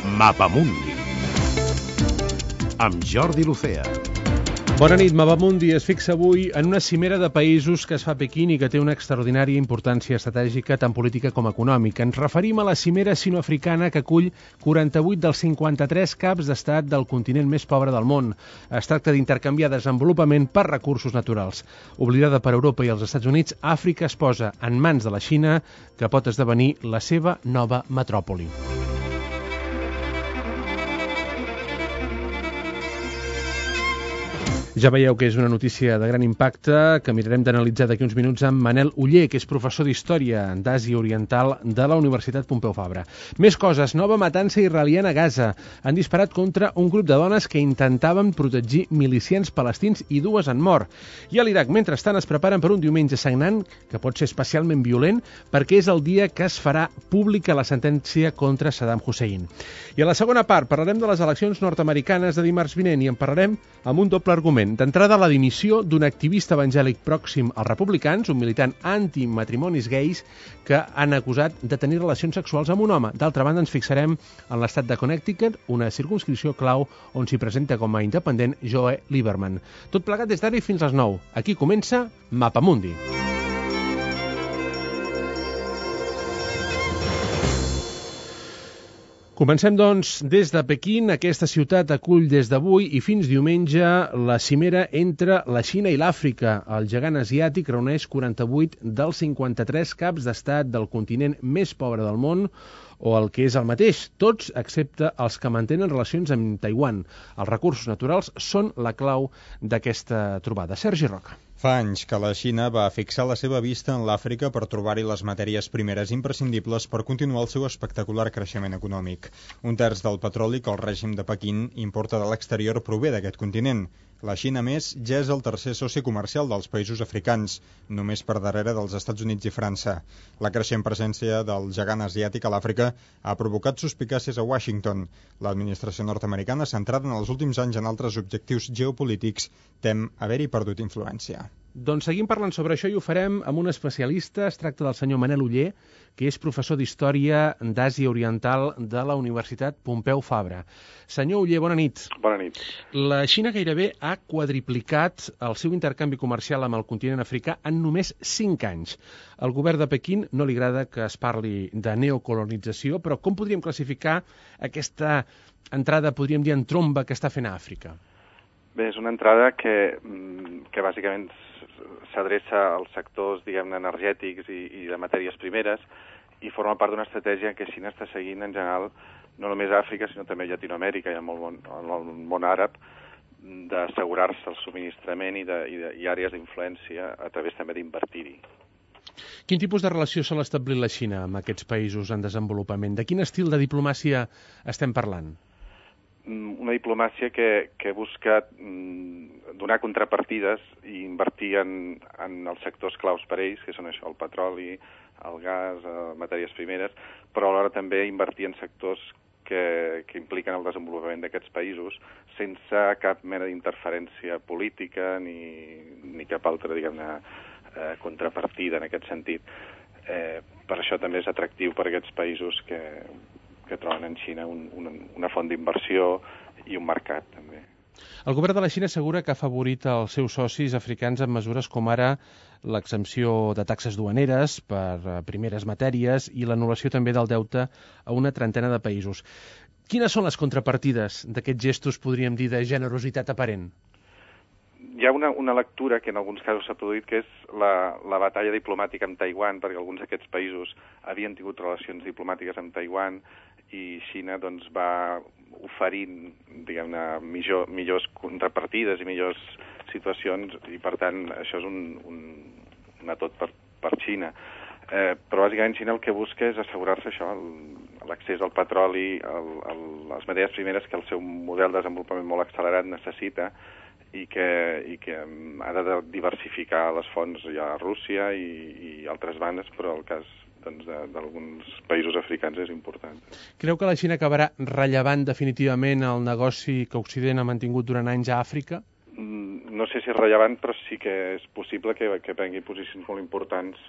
Mapamundi amb Jordi Lucea. Bona nit, Mapamundi es fixa avui en una cimera de països que es fa a Pequín i que té una extraordinària importància estratègica tant política com econòmica. Ens referim a la cimera sino-africana que acull 48 dels 53 caps d'estat del continent més pobre del món. Es tracta d'intercanviar desenvolupament per recursos naturals. Oblidada per Europa i els Estats Units, Àfrica es posa en mans de la Xina, que pot esdevenir la seva nova metròpoli. Ja veieu que és una notícia de gran impacte que mirarem d'analitzar d'aquí uns minuts amb Manel Oller, que és professor d'Història d'Àsia Oriental de la Universitat Pompeu Fabra. Més coses. Nova matança israeliana a Gaza. Han disparat contra un grup de dones que intentaven protegir milicians palestins i dues han mort. I a l'Iraq, mentrestant, es preparen per un diumenge sagnant que pot ser especialment violent perquè és el dia que es farà pública la sentència contra Saddam Hussein. I a la segona part parlarem de les eleccions nord-americanes de dimarts vinent i en parlarem amb un doble argument. D'entrada, la dimissió d'un activista evangèlic pròxim als republicans, un militant antimatrimonis gais, que han acusat de tenir relacions sexuals amb un home. D'altra banda, ens fixarem en l'estat de Connecticut, una circumscripció clau on s'hi presenta com a independent Joe Lieberman. Tot plegat des d'ara i fins les 9. Aquí comença Mapamundi. Comencem, doncs, des de Pequín. Aquesta ciutat acull des d'avui i fins diumenge la cimera entre la Xina i l'Àfrica. El gegant asiàtic reuneix 48 dels 53 caps d'estat del continent més pobre del món, o el que és el mateix, tots excepte els que mantenen relacions amb Taiwan. Els recursos naturals són la clau d'aquesta trobada. Sergi Roca. Fa anys que la Xina va fixar la seva vista en l'Àfrica per trobar-hi les matèries primeres imprescindibles per continuar el seu espectacular creixement econòmic. Un terç del petroli que el règim de Pequín importa de l'exterior prové d'aquest continent. La Xina, més, ja és el tercer soci comercial dels països africans, només per darrere dels Estats Units i França. La creixent presència del gegant asiàtic a l'Àfrica ha provocat suspicàcies a Washington. L'administració nord-americana, centrada en els últims anys en altres objectius geopolítics, tem haver-hi perdut influència. Doncs seguim parlant sobre això i ho farem amb un especialista. Es tracta del senyor Manel Oller, que és professor d'Història d'Àsia Oriental de la Universitat Pompeu Fabra. Senyor Oller, bona nit. Bona nit. La Xina gairebé ha quadriplicat el seu intercanvi comercial amb el continent africà en només 5 anys. Al govern de Pequín no li agrada que es parli de neocolonització, però com podríem classificar aquesta entrada, podríem dir, en tromba que està fent a Àfrica? Bé, és una entrada que bàsicament s'adreça als sectors, diguem-ne, energètics i de matèries primeres i forma part d'una estratègia que Xina està seguint en general, no només a Àfrica, sinó també a Llatinoamèrica i en el món àrab, d'assegurar-se el subministrament i àrees d'influència a través també d'invertir-hi. Quin tipus de relació sol establir la Xina amb aquests països en desenvolupament? De quin estil de diplomàcia estem parlant? Una diplomàcia que busca donar contrapartides i invertir en els sectors claus per a ells, que són això, el petroli, el gas, matèries primeres, però alhora també invertir en sectors que impliquen el desenvolupament d'aquests països sense cap mena d'interferència política ni cap altra, diguem-ne, contrapartida en aquest sentit. Per això també és atractiu per a aquests països que troben en Xina una font d'inversió i un mercat, també. El govern de la Xina assegura que ha afavorit els seus socis africans amb mesures com ara l'exempció de taxes duaneres per primeres matèries i l'anul·lació també del deute a una trentena de països. Quines són les contrapartides d'aquests gestos, podríem dir, de generositat aparent? Hi ha una lectura que en alguns casos s'ha produït, que és la batalla diplomàtica amb Taiwan, perquè alguns d'aquests països havien tingut relacions diplomàtiques amb Taiwan i Xina doncs, va oferint, diguem-ne, millors contrapartides i millors situacions i, per tant, això és un atot per Xina. Però, bàsicament, Xina el que busca és assegurar-se això, l'accés al petroli, a les matèries primeres que el seu model de desenvolupament molt accelerat necessita i que ha de diversificar les fonts ja a Rússia i altres bandes, però el cas d'alguns països africans és important. Creu que la Xina acabarà rellevant definitivament el negoci que Occident ha mantingut durant anys a Àfrica? No sé si és rellevant, però sí que és possible que prengui posicions molt importants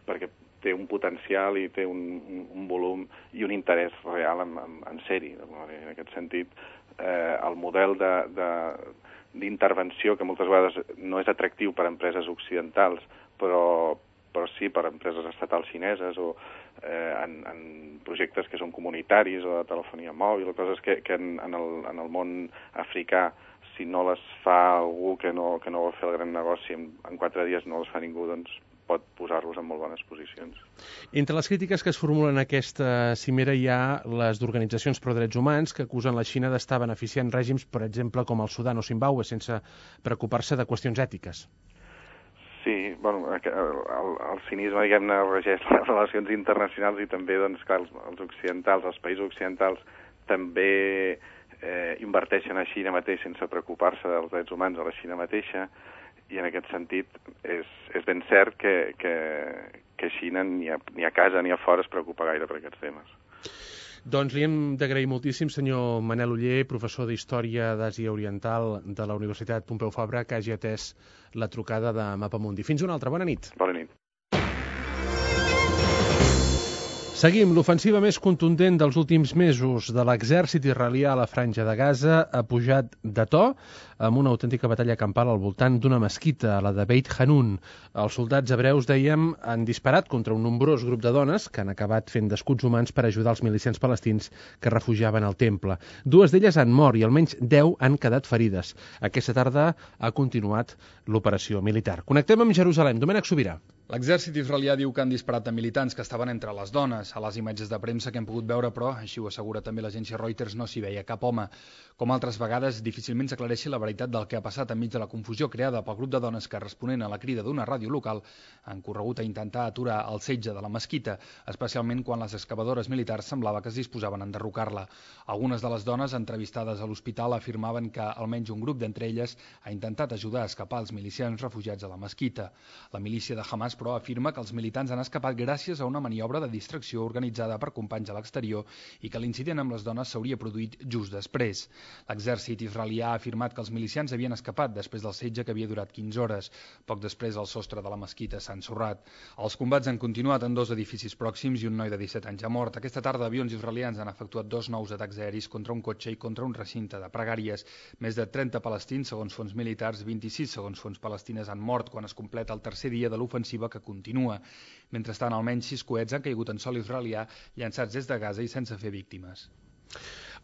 perquè té un potencial i té un volum i un interès real en ser-hi. En aquest sentit, el model d'intervenció, que moltes vegades no és atractiu per a empreses occidentals, però sí per a empreses estatals xineses o en projectes que són comunitaris o de telefonia mòbil o coses que en el món africà, si no les fa algú que no vol fer el gran negoci, en 4 dies no les fa ningú, doncs pot posar-los en molt bones posicions. Entre les crítiques que es formulen a aquesta cimera hi ha les d'organitzacions pro drets humans que acusen la Xina d'estar beneficiant règims, per exemple, com el Sudan o Zimbàbue, sense preocupar-se de qüestions ètiques. Sí, bueno, el cinisme, diguem-ne, regeix les relacions internacionals i també, doncs, clar, els occidentals, els països occidentals també inverteixen a Xina mateix sense preocupar-se dels drets humans a la Xina mateixa, i en aquest sentit és ben cert que Xina ni a casa ni a fora es preocupa gaire per aquests temes. Doncs li hem d'agrair moltíssim, senyor Manel Oller, professor d'Història d'Àsia Oriental de la Universitat Pompeu Fabra, que hagi atès la trucada de Mapamundi. Fins una altra. Bona nit. Bona nit. Seguim. L'ofensiva més contundent dels últims mesos de l'exèrcit israelià a la Franja de Gaza ha pujat de to amb una autèntica batalla campal al voltant d'una mesquita, la de Beit Hanun. Els soldats hebreus, dèiem, han disparat contra un nombrós grup de dones que han acabat fent d'escuts humans per ajudar els milicians palestins que refugiaven al temple. 2 d'elles han mort i almenys 10 han quedat ferides. Aquesta tarda ha continuat l'operació militar. Connectem amb Jerusalem. Domènec Sobirà. L'exèrcit israelià diu que han disparat a militants que estaven entre les dones. A les imatges de premsa que hem pogut veure, però, així ho assegura també l'agència Reuters, no s'hi veia cap home. Com altres vegades, difícilment s'aclareixi la veritat del que ha passat enmig de la confusió creada pel grup de dones que, responent a la crida d'una ràdio local, han corregut a intentar aturar el setge de la mesquita, especialment quan les excavadores militars semblava que es disposaven a enderrocar-la. Algunes de les dones entrevistades a l'hospital afirmaven que almenys un grup d'entre elles ha intentat ajudar a escapar els milicians refugiats a la mesquita. La milícia de Hamas, però, afirma que els militants han escapat gràcies a una maniobra de distracció organitzada per companys a l'exterior i que l'incident amb les dones s'hauria produït just després. L'exèrcit israelià ha afirmat que els milicians havien escapat després del setge que havia durat 15 hores. Poc després, el sostre de la mesquita s'ha ensorrat. Els combats han continuat en 2 edificis pròxims i un noi de 17 anys ha mort. Aquesta tarda, avions israelians han efectuat 2 nous atacs aeris contra un cotxe i contra un recinte de pregàries. Més de 30 palestins, segons fons militars, 26 segons fons palestines han mort quan es completa el 3è dia de l'ofensiva que continua. Mentrestant, almenys 6 coets han caigut en sòl israelià llançats des de Gaza i sense fer víctimes.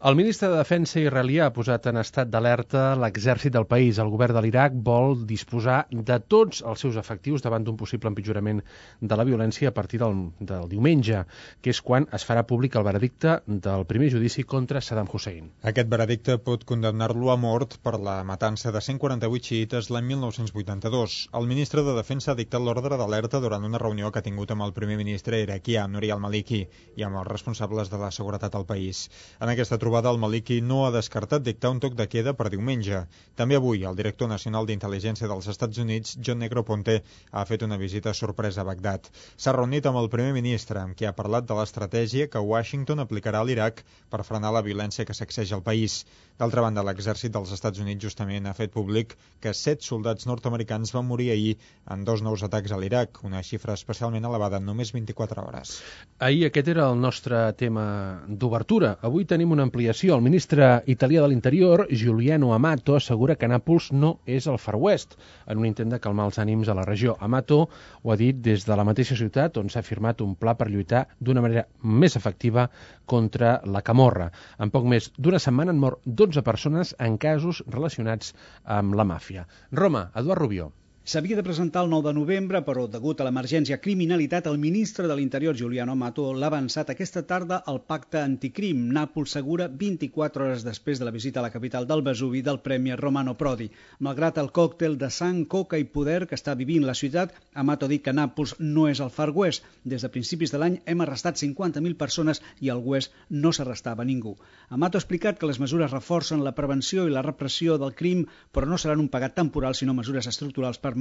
El ministre de Defensa israelià ha posat en estat d'alerta l'exèrcit del país. El govern de l'Iraq vol disposar de tots els seus efectius davant d'un possible empitjorament de la violència a partir del diumenge, que és quan es farà públic el veredicte del primer judici contra Saddam Hussein. Aquest veredicte pot condemnar-lo a mort per la matança de 148 xiites l'any 1982. El ministre de Defensa ha dictat l'ordre d'alerta durant una reunió que ha tingut amb el primer ministre iraquià, Nouri al-Maliki, i amb els responsables de la seguretat al país. En aquesta trobada, el Maliki no ha descartat dictar un toc de queda per diumenge. També avui, el director nacional d'intel·ligència dels Estats Units, John Negroponte, ha fet una visita sorpresa a Bagdad. S'ha reunit amb el primer ministre, amb qui ha parlat de l'estratègia que Washington aplicarà a l'Iraq per frenar la violència que sacseja el país. D'altra banda, l'exèrcit dels Estats Units justament ha fet públic que 7 soldats nord-americans van morir ahir en 2 nous atacs a l'Iraq, una xifra especialment elevada en només 24 hores. Ahir aquest era el nostre tema d'obertura. Avui tenim una ampliació. El ministre italià de l'Interior, Giuliano Amato, assegura que Nàpols no és el Far West, en un intent de calmar els ànims a la regió. Amato ho ha dit des de la mateixa ciutat, on s'ha firmat un pla per lluitar d'una manera més efectiva contra la camorra. En poc més d'una setmana han mort 12 persones en casos relacionats amb la màfia. Roma, Eduard Rubió. S'havia de presentar el 9 de novembre, però degut a l'emergència criminalitat, el ministre de l'Interior, Giuliano Amato, l'ha avançat aquesta tarda al pacte anticrim. Nàpols segura 24 hores després de la visita a la capital del Vesuvi del premier Romano Prodi. Malgrat el còctel de sang, coca i poder que està vivint la ciutat, Amato ha dit que Nàpols no és el Far West. Des de principis de l'any hem arrestat 50.000 persones i al West no s'arrestava ningú. Amato ha explicat que les mesures reforcen la prevenció i la repressió del crim, però no seran un pagat temporal, sinó mesures estructurals permanents.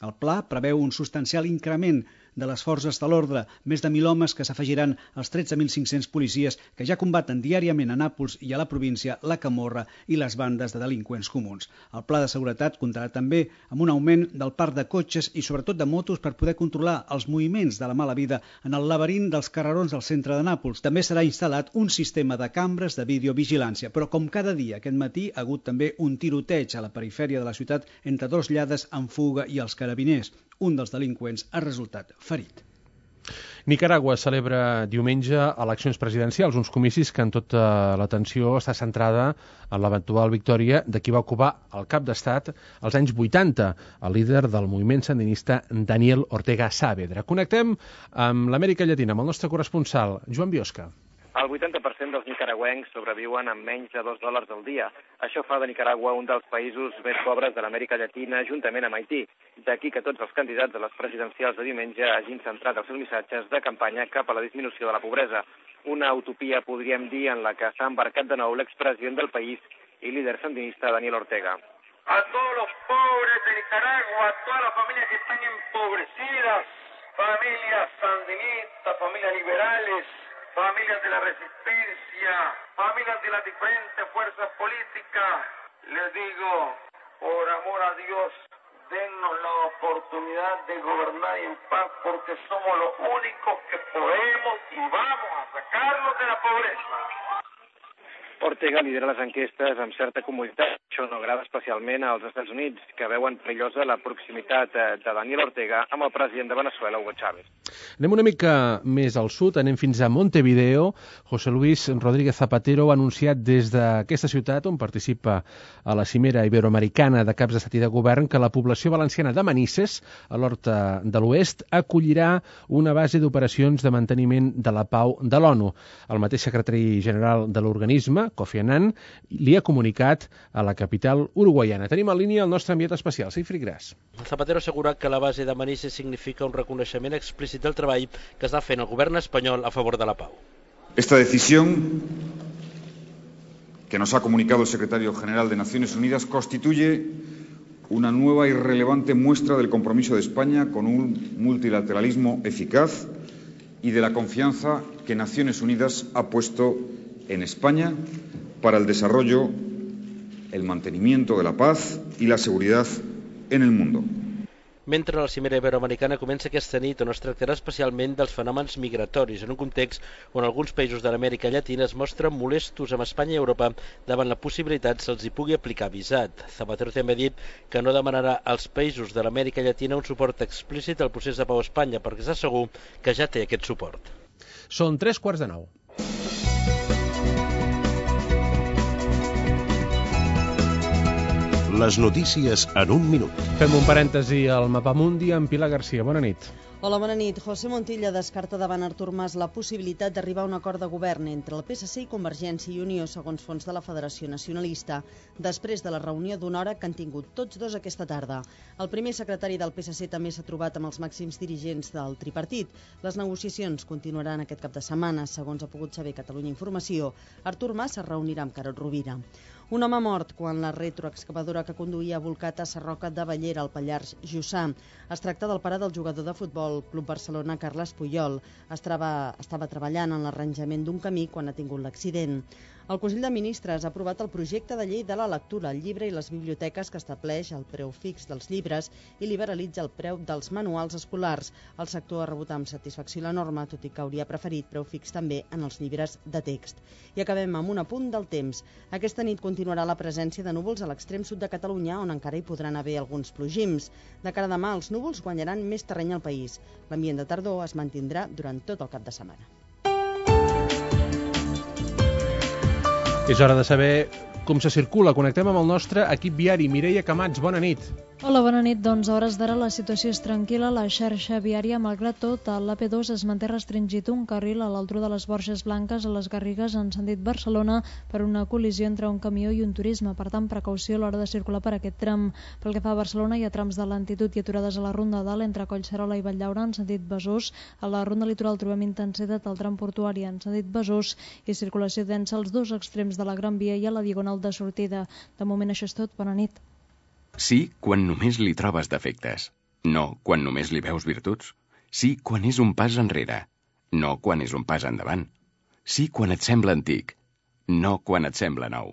El pla preveu un substancial increment de les forces de l'ordre, més de 1.000 homes que s'afegiran als 13.500 policies que ja combaten diàriament a Nàpols i a la província la camorra i les bandes de delinqüents comuns. El pla de seguretat comptarà també amb un augment del parc de cotxes i sobretot de motos per poder controlar els moviments de la mala vida en el laberint dels carrerons del centre de Nàpols. També serà instal·lat un sistema de cambres de videovigilància, però com cada dia aquest matí ha hagut també un tiroteig a la perifèria de la ciutat entre dos lladres en fuga i els carabiners. Un dels delinqüents ha resultat ferit. Nicaragua celebra diumenge eleccions presidencials, uns comicis que en tota l'atenció està centrada en l'eventual victòria de qui va ocupar el cap d'estat als anys 80, el líder del moviment sandinista Daniel Ortega Saavedra. Connectem amb l'Amèrica Llatina, amb el nostre corresponsal, Joan Biosca. El 80% dels nicaragüencs sobreviuen amb menys de $2 al dia. Això fa de Nicaragua un dels països més pobres de l'Amèrica Llatina, juntament amb Haití. D'aquí que tots els candidats a les presidencials de diumenge hagin centrat els seus missatges de campanya cap a la disminució de la pobresa. Una utopia, podríem dir, en la que s'ha embarcat de nou l'expresident del país i líder sandinista Daniel Ortega. A todos los pobres de Nicaragua, a todas las familias que están empobrecidas, familias sandinistas, familias liberales, familias de la resistencia, familias de las diferentes fuerzas políticas, les digo, por amor a Dios, dennos la oportunidad de gobernar en paz porque somos los únicos que podemos y vamos a sacarlos de la pobreza. Ortega lidera les enquestes amb certa comoditat. Això no agrada especialment als Estats Units, que veuen perillosa la proximitat de Daniel Ortega amb el president de Venezuela, Hugo Chávez. Anem una mica més al sud, anem fins a Montevideo. José Luis Rodríguez Zapatero ha anunciat des d'aquesta ciutat, on participa a la cimera iberoamericana de caps d'estat i de govern, que la població valenciana de Manises, a l'Horta de l'Oest, acollirà una base d'operacions de manteniment de la pau de l'ONU. El mateix secretari general de l'organisme, Kofi Annan, li ha comunicat a la capital uruguaiana. Tenim en línia el nostre enviat especial, Sigfrid Gras. Zapatero assegura que la base de Manises significa un reconeixement explícit del treball que està fent el govern espanyol a favor de la pau. Esta decisión que nos ha comunicado el secretario general de Naciones Unidas constituye una nueva y relevante muestra del compromiso de España con un multilateralismo eficaz y de la confianza que Naciones Unidas ha puesto en España para el desarrollo, el mantenimiento de la paz y la seguridad en el mundo. Mentre la cimera iberoamericana comença aquesta nit, on es tractarà especialment dels fenòmens migratoris, en un context on alguns països de l'Amèrica Llatina es mostren molestos amb Espanya i Europa davant la possibilitat se'ls hi pugui aplicar visat. Zapatero també ha dit que no demanarà als països de l'Amèrica Llatina un suport explícit al procés de pau a Espanya, perquè està segur que ja té aquest suport. Són 8:45. Les notícies en un minut. Fem un parèntesi al Mapamundi amb Pilar Garcia. Bona nit. Hola, bona nit. José Montilla descarta davant Artur Mas la possibilitat d'arribar a un acord de govern entre el PSC i Convergència i Unió, segons fons de la Federació Nacionalista, després de la reunió d'una hora que han tingut tots dos aquesta tarda. El primer secretari del PSC també s'ha trobat amb els màxims dirigents del tripartit. Les negociacions continuaran aquest cap de setmana, segons ha pogut saber Catalunya Informació. Artur Mas es reunirà amb Carod Rovira. Un home mort quan la retroexcavadora que conduïa ha volcat a Sarroca de Bellera, al Pallars Jussà. Es tracta del pare del jugador de futbol Club Barcelona, Carles Puyol. Estava treballant en l'arranjament d'un camí quan ha tingut l'accident. El Consell de Ministres ha aprovat el projecte de llei de la lectura, el llibre i les biblioteques, que estableix el preu fix dels llibres i liberalitza el preu dels manuals escolars. El sector ha rebut amb satisfacció la norma, tot i que hauria preferit preu fix també en els llibres de text. I acabem amb un apunt del temps. Aquesta nit continuarà la presència de núvols a l'extrem sud de Catalunya, on encara hi podran haver alguns plogims. De cara a demà, els núvols guanyaran més terreny al país. L'ambient de tardor es mantindrà durant tot el cap de setmana. És hora de saber com se circula. Connectem amb el nostre equip viari. Mireia Camats, bona nit. Hola, bona nit. Doncs a hores d'ara la situació és tranquil·la. La xarxa viària, malgrat tot, a l'AP2 es manté restringit un carril a l'altura de les Borges Blanques a les Garrigues en sentit Barcelona per una col·lisió entre un camió i un turisme. Per tant, precaució a l'hora de circular per aquest tram. Pel que fa a Barcelona, hi ha trams de lentitud i aturades a la Ronda Dalt entre Collserola i Valldaura en sentit Besòs. A la Ronda Litoral trobem intensitat al tram portuari en sentit Besòs i circulació densa als dos extrems de la Gran Via i a la Diagonal de sortida. De moment això és tot. Bona nit. Sí, quan només li trobes defectes. No, quan només li veus virtuts. Sí quan és un pas enrere, no quan és un pas endavant. Sí quan et sembla antic, no quan et sembla nou.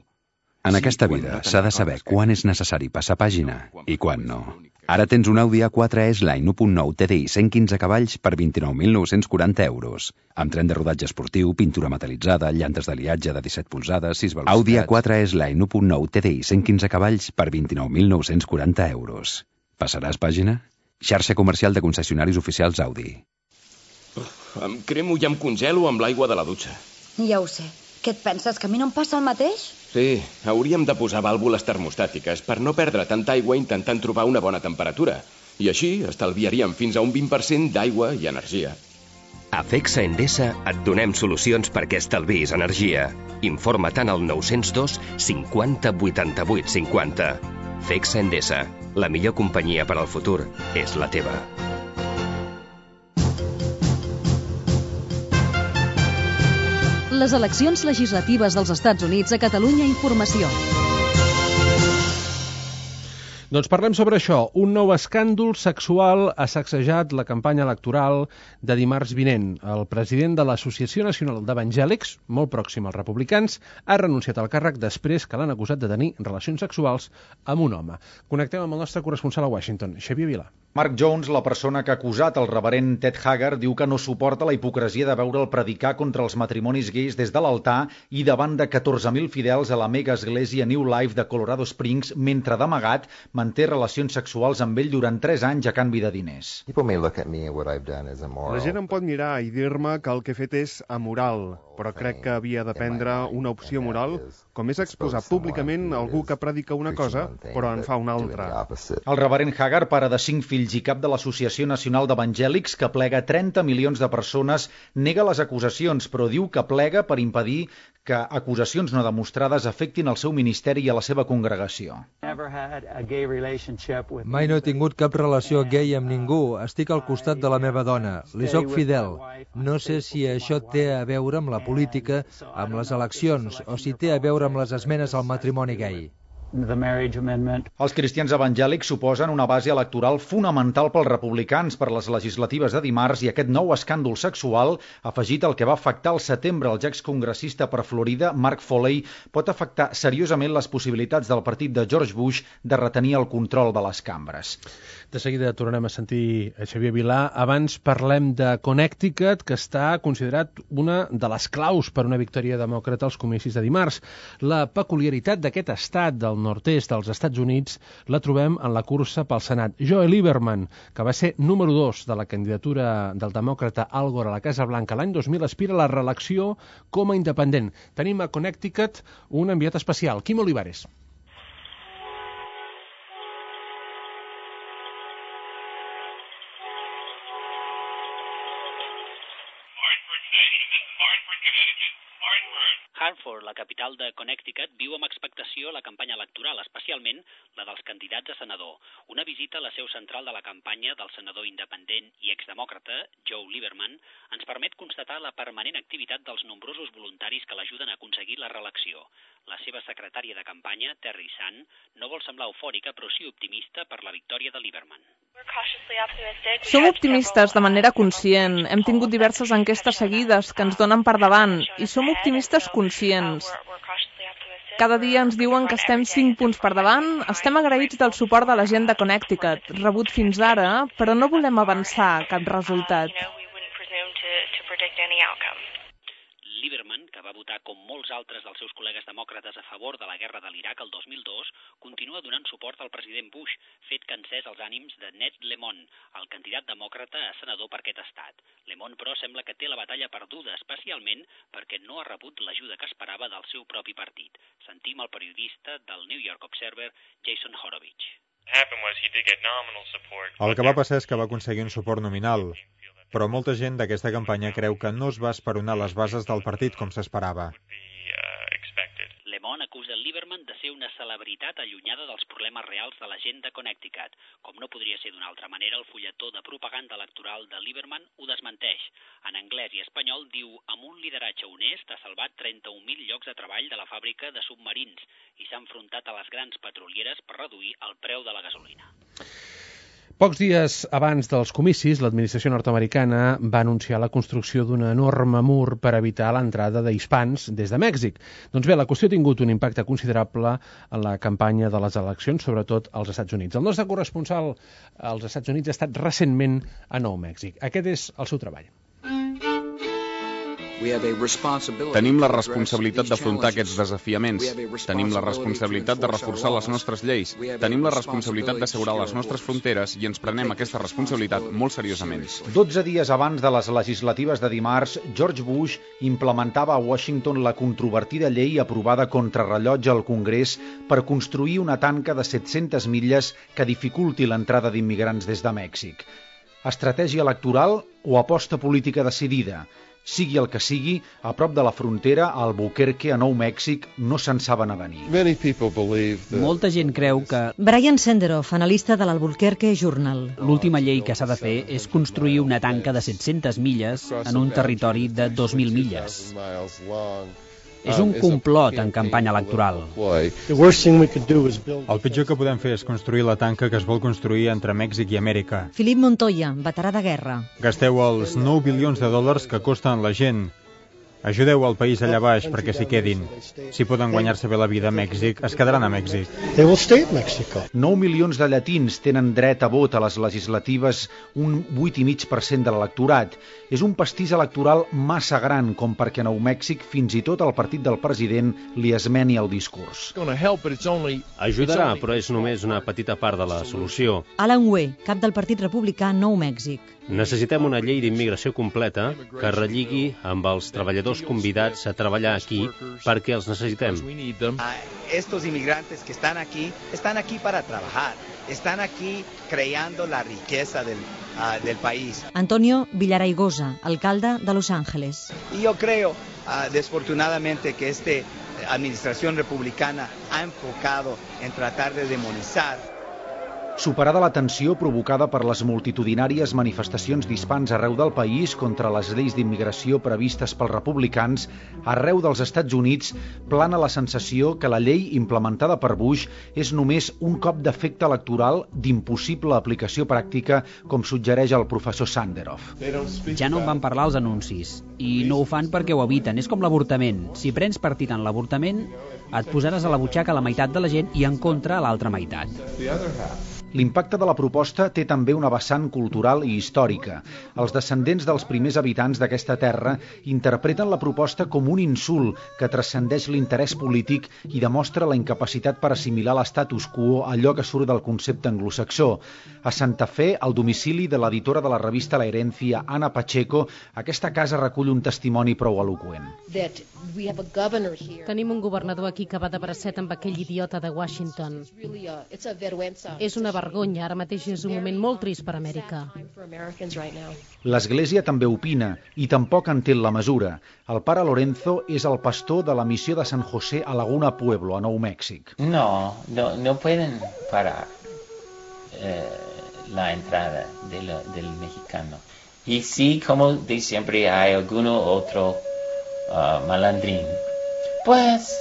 En aquesta vida s'ha de saber quan és necessari passar pàgina i quan no. Ara tens un Audi A4 S-Line 1.9 TDI 115 cavalls per 29.940 euros. Amb tren de rodatge esportiu, pintura metal·litzada, llantes d'aliatge de 17 polzades, 6 velocitats... Audi A4 S-Line 1.9 TDI 115 cavalls per 29.940 euros. Passaràs pàgina? Xarxa comercial de concessionaris oficials Audi. Em cremo i em congelo amb l'aigua de la dutxa. Ja ho sé. Què et penses, que a mi no em passa el mateix? Sí, hauríem de posar vàlvules termostàtiques per no perdre tanta aigua intentant trobar una bona temperatura. I així estalviaríem fins a un 20% d'aigua i energia. A FECSA Endesa et donem solucions perquè estalviïs energia. Informa-te'n al 902 50 88 50. FECSA Endesa, la millor companyia per al futur és la teva. Les eleccions legislatives dels Estats Units a Catalunya Informació. Doncs parlem sobre això. Un nou escàndol sexual ha sacsejat la campanya electoral de dimarts vinent. El president de l'Associació Nacional d'Evangèlics, molt pròxim als republicans, ha renunciat al càrrec després que l'han acusat de tenir relacions sexuals amb un home. Connectem amb el nostre corresponsal a Washington, Xavier Vilà. Mark Jones, la persona que ha acusat el reverend Ted Haggard, diu que no suporta la hipocresia de veure'l predicar contra els matrimonis gais des de l'altar i davant de 14.000 fidels a la mega església New Life de Colorado Springs, mentre d'amagat manté relacions sexuals amb ell durant 3 anys a canvi de diners. La gent em pot mirar i dir-me que el que he fet és amoral, però crec que havia de prendre una opció moral, com és exposar públicament algú que predica una cosa, però en fa una altra. El reverend Haggard, pare de 5 fills i cap de l'Associació Nacional d'Evangèlics, que plega 30 milions de persones, nega les acusacions, però diu que plega per impedir que acusacions no demostrades afectin el seu ministeri i a la seva congregació. Mai no he tingut cap relació gay amb ningú. Estic al costat de la meva dona. Li soc fidel. No sé si això té a veure amb la política, amb les eleccions, o si té a veure amb les esmenes al matrimoni gay. Els cristians evangèlics suposen una base electoral fonamental pels republicans per les legislatives de dimarts i aquest nou escàndol sexual, afegit al que va afectar al setembre el excongressista per Florida, Mark Foley, pot afectar seriosament les possibilitats del partit de George Bush de retenir el control de les cambres. De seguida tornarem a sentir a Xavier Vilà. Abans parlem de Connecticut, que està considerat una de les claus per una victòria demòcrata als comicis de dimarts. La peculiaritat d'aquest estat del nord-est dels Estats Units la trobem en la cursa pel Senat. Joe Lieberman, que va ser número 2 de la candidatura del demòcrata Al Gore a la Casa Blanca l'any 2000, aspira a la reelecció com a independent. Tenim a Connecticut un enviat especial, Quim Olivares. Hartford, la capital de Connecticut, viu amb expectació la campanya electoral, especialment la dels candidats a senador. Una visita a la seu central de la campanya del senador independent i exdemòcrata, Joe Lieberman, ens permet constatar la permanent activitat dels nombrosos voluntaris que l'ajuden a aconseguir la reelecció. La seva secretària de campanya, Terry Sun, no vol semblar eufòrica, però sí optimista per la victòria de Lieberman. Som optimistes de manera conscient. Hem tingut diverses enquestes seguides que ens donen per davant i som optimistes conscients. Cada dia ens diuen que estem 5 punts per davant. Estem agraïts del suport de la gent de Connecticut, rebut fins ara, però no volem avançar cap resultat. Lieberman, que va votar com molts altres dels seus col·legues demòcrates a favor de la guerra de l'Iraq el 2002, continua donant suport al president Bush, fet que ha encès els ànims de Ned Lemon, el candidat demòcrata a senador per aquest estat. Lemon, però, sembla que té la batalla perduda, especialment perquè no ha rebut l'ajuda que esperava del seu propi partit. Sentim el periodista del New York Observer, Jason Horowitz. El que va passar és que va aconseguir un suport nominal, però molta gent d'aquesta campanya creu que no es va esperonar les bases del partit com s'esperava. Lemon acusa Lieberman de ser una celebritat allunyada dels problemes reals de la gent de Connecticut. Com no podria ser d'una altra manera, el fulletó de propaganda electoral de Lieberman ho desmenteix. En anglès i espanyol diu: amb un lideratge honest ha salvat 31.000 llocs de treball de la fàbrica de submarins i s'ha enfrontat a les grans petrolieres per reduir el preu de la gasolina. Pocs dies abans dels comicis, l'administració nord-americana va anunciar la construcció d'un enorme mur per evitar l'entrada d'hispans des de Mèxic. Doncs bé, la qüestió ha tingut un impacte considerable en la campanya de les eleccions, sobretot als Estats Units. El nostre corresponsal als Estats Units ha estat recentment a Nou Mèxic. Aquest és el seu treball. Tenim la responsabilitat d'afrontar aquests desafiaments. Tenim la responsabilitat de reforçar les nostres lleis. Tenim la responsabilitat d'assegurar les nostres fronteres i ens prenem aquesta responsabilitat molt seriosament. 12 dies abans de les legislatives de dimarts, George Bush implementava a Washington la controvertida llei aprovada contrarrellotge al Congrés per construir una tanca de 700 milles que dificulti l'entrada d'immigrants des de Mèxic. Estratègia electoral o aposta política decidida? Sigui el que sigui, a prop de la frontera, a Albuquerque, a Nou Mèxic, no se'n saben avenir. Molta gent creu que... Brian Senderoff, analista de l'Albuquerque Journal. L'última llei que s'ha de fer és construir una tanca de 700 milles en un territori de 2.000 milles. És un complot en campanya electoral. El pitjor que podem fer és construir la tanca que es vol construir entre Mèxic i Amèrica. Philip Montoya, veterà de guerra. Gasteu els 9 bilions de dòlars que costen la gent. Ajudeu al país allà baix perquè s'hi quedin. Si poden guanyar-se bé la vida a Mèxic, es quedaran a Mèxic. 9 milions de llatins tenen dret a vot a les legislatives, un 8,5% de l'electorat. És un pastís electoral massa gran com perquè a Nou Mèxic fins i tot el partit del president li esmeni el discurs. Ajudarà, però és només una petita part de la solució. Alan Weh, cap del Partit Republicà Nou Mèxic. Necessitem una llei d'immigració completa que relligui amb els treballadors convidats a treballar aquí perquè els necessitem. Estos inmigrantes que están aquí para trabajar, están aquí creando la riqueza del país. Antonio Villaraigosa, alcalde de Los Ángeles. Y yo creo, desfortunadamente, que esta administración republicana ha enfocado en tratar de demonizar. Superada la tensió provocada per les multitudinàries manifestacions d'hispans arreu del país contra les lleis d'immigració previstes pels republicans, arreu dels Estats Units plana la sensació que la llei implementada per Bush és només un cop d'efecte electoral d'impossible aplicació pràctica, com suggereix el professor Senderoff. Ja no en van parlar els anuncis, i no ho fan perquè ho eviten. És com l'avortament. Si prens partit en l'avortament, et posaràs a la butxaca la meitat de la gent i en contra a l'altra meitat. L'impacte de la proposta té també una vessant cultural i històrica. Els descendents dels primers habitants d'aquesta terra interpreten la proposta com un insult que transcendeix l'interès polític i demostra la incapacitat per assimilar l'estatus quo, allò que surt del concepte anglosaxó. A Santa Fe, al domicili de l'editora de la revista La Herencia, Ana Pacheco, aquesta casa recull un testimoni prou eloqüent. Tenim un governador aquí que va de bracet amb aquell idiota de Washington. És una vergonya, ara mateix és un moment molt trist per Amèrica. L'Església també opina i tampoc entén la mesura. El pare Lorenzo és el pastor de la missió de San José a Laguna Pueblo, a Nou Mèxic. No pueden parar la entrada del mexicano. Y sí, como de siempre hay alguno otro malandrín. Pues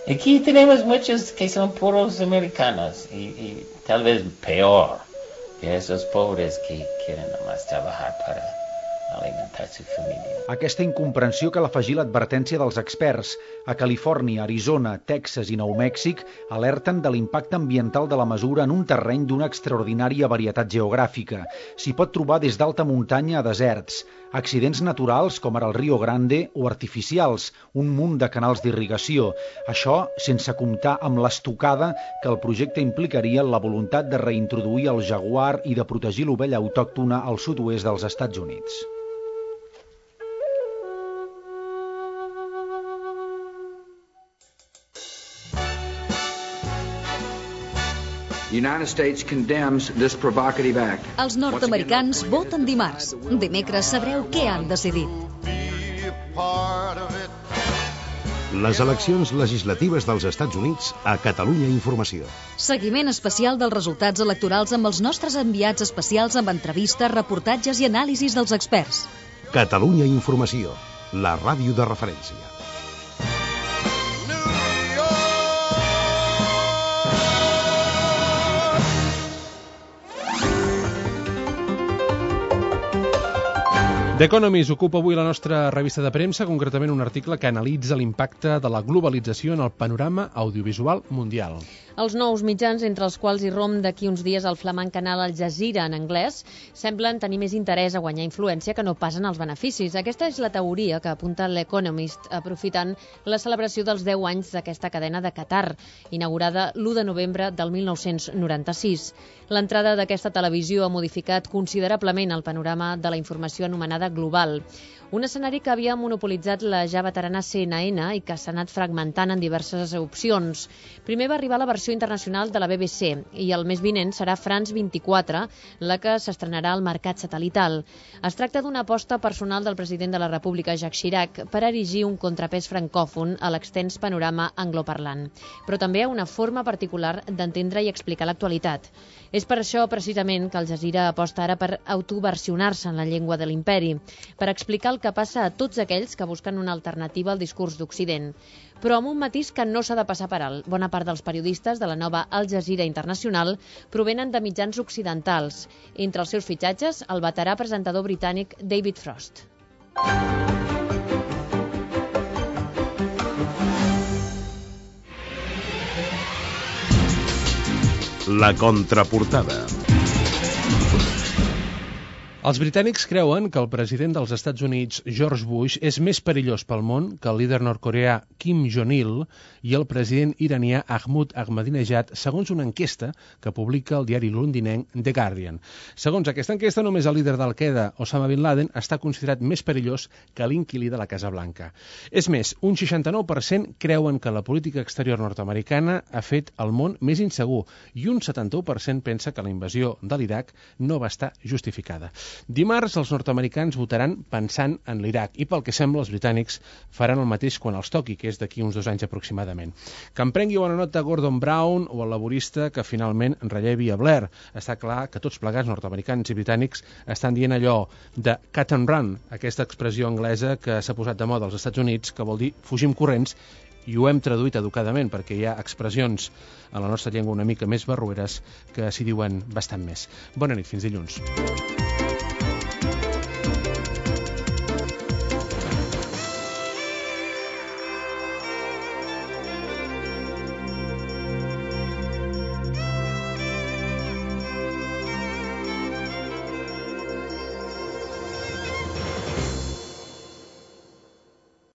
aquí tenemos muchos que son puros americanos y tal vez peor que esos pobres que quieren nomás trabajar para alimentar su familia. Aquesta incomprensió cal afegir l'advertència dels experts. A Califòrnia, Arizona, Texas i Nou Mèxic alerten de l'impacte ambiental de la mesura en un terreny d'una extraordinària varietat geogràfica. S'hi pot trobar des d'alta muntanya a deserts, accidents naturals com ara el Rio Grande o artificials, un munt de canals d'irrigació. Això sense comptar amb l'estocada que el projecte implicaria la voluntat de reintroduir el jaguar i de protegir l'ovella autòctona al sud-oest dels Estats Units. Els nord-americans voten dimarts. Dimecres sabreu què han decidit. Les eleccions legislatives dels Estats Units a Catalunya Informació. Seguiment especial dels resultats electorals amb els nostres enviats especials amb entrevistes, reportatges i anàlisis dels experts. Catalunya Informació, la ràdio de referència. The Economist ocupa avui la nostra revista de premsa, concretament un article que analitza l'impacte de la globalització en el panorama audiovisual mundial. Els nous mitjans, entre els quals hi rom d'aquí uns dies el flamant canal Al Jazeera en anglès, semblen tenir més interès a guanyar influència que no pas en els beneficis. Aquesta és la teoria que apunta l'Economist, aprofitant la celebració dels 10 anys d'aquesta cadena de Qatar, inaugurada l'1 de novembre del 1996. L'entrada d'aquesta televisió ha modificat considerablement el panorama de la informació anomenada global. Un escenari que havia monopolitzat la ja veterana CNN i que s'ha anat fragmentant en diverses opcions. Primer va arribar la versió internacional de la BBC i el mes vinent serà France 24, la que s'estrenarà al mercat satelital. Es tracta d'una aposta personal del president de la República, Jacques Chirac, per erigir un contrapès francòfon a l'extens panorama angloparlant, però també una forma particular d'entendre i explicar l'actualitat. És per això, precisament, que Al Jazeera aposta ara per autoversionar-se en la llengua de l'imperi, per explicar el que passa a tots aquells que busquen una alternativa al discurs d'Occident. Però amb un matís que no s'ha de passar per alt. Bona part dels periodistes de la nova Al Jazeera Internacional provenen de mitjans occidentals. Entre els seus fitxatges, el veterà presentador britànic David Frost. La contraportada. Els britànics creuen que el president dels Estats Units, George Bush, és més perillós pel món que el líder nord-coreà Kim Jong-il i el president iranià Mahmoud Ahmadinejad, segons una enquesta que publica el diari londinenc The Guardian. Segons aquesta enquesta, només el líder d'Al-Qaeda, Osama Bin Laden, està considerat més perillós que l'inquilí de la Casa Blanca. És més, un 69% creuen que la política exterior nord-americana ha fet el món més insegur i un 71% pensa que la invasió de l'Iraq no va estar justificada. Dimarts, els nord-americans votaran pensant en l'Iraq i, pel que sembla, els britànics faran el mateix quan els toqui, que és d'aquí uns 2 anys aproximadament. Que en prengui bona nota Gordon Brown o el laborista que finalment rellevi a Blair. Està clar que tots plegats, nord-americans i britànics, estan dient allò de cut and run, aquesta expressió anglesa que s'ha posat de moda als Estats Units, que vol dir fugim corrents, i ho hem traduït educadament perquè hi ha expressions en la nostra llengua una mica més barrueres que s'hi diuen bastant més. Bona nit, fins dilluns.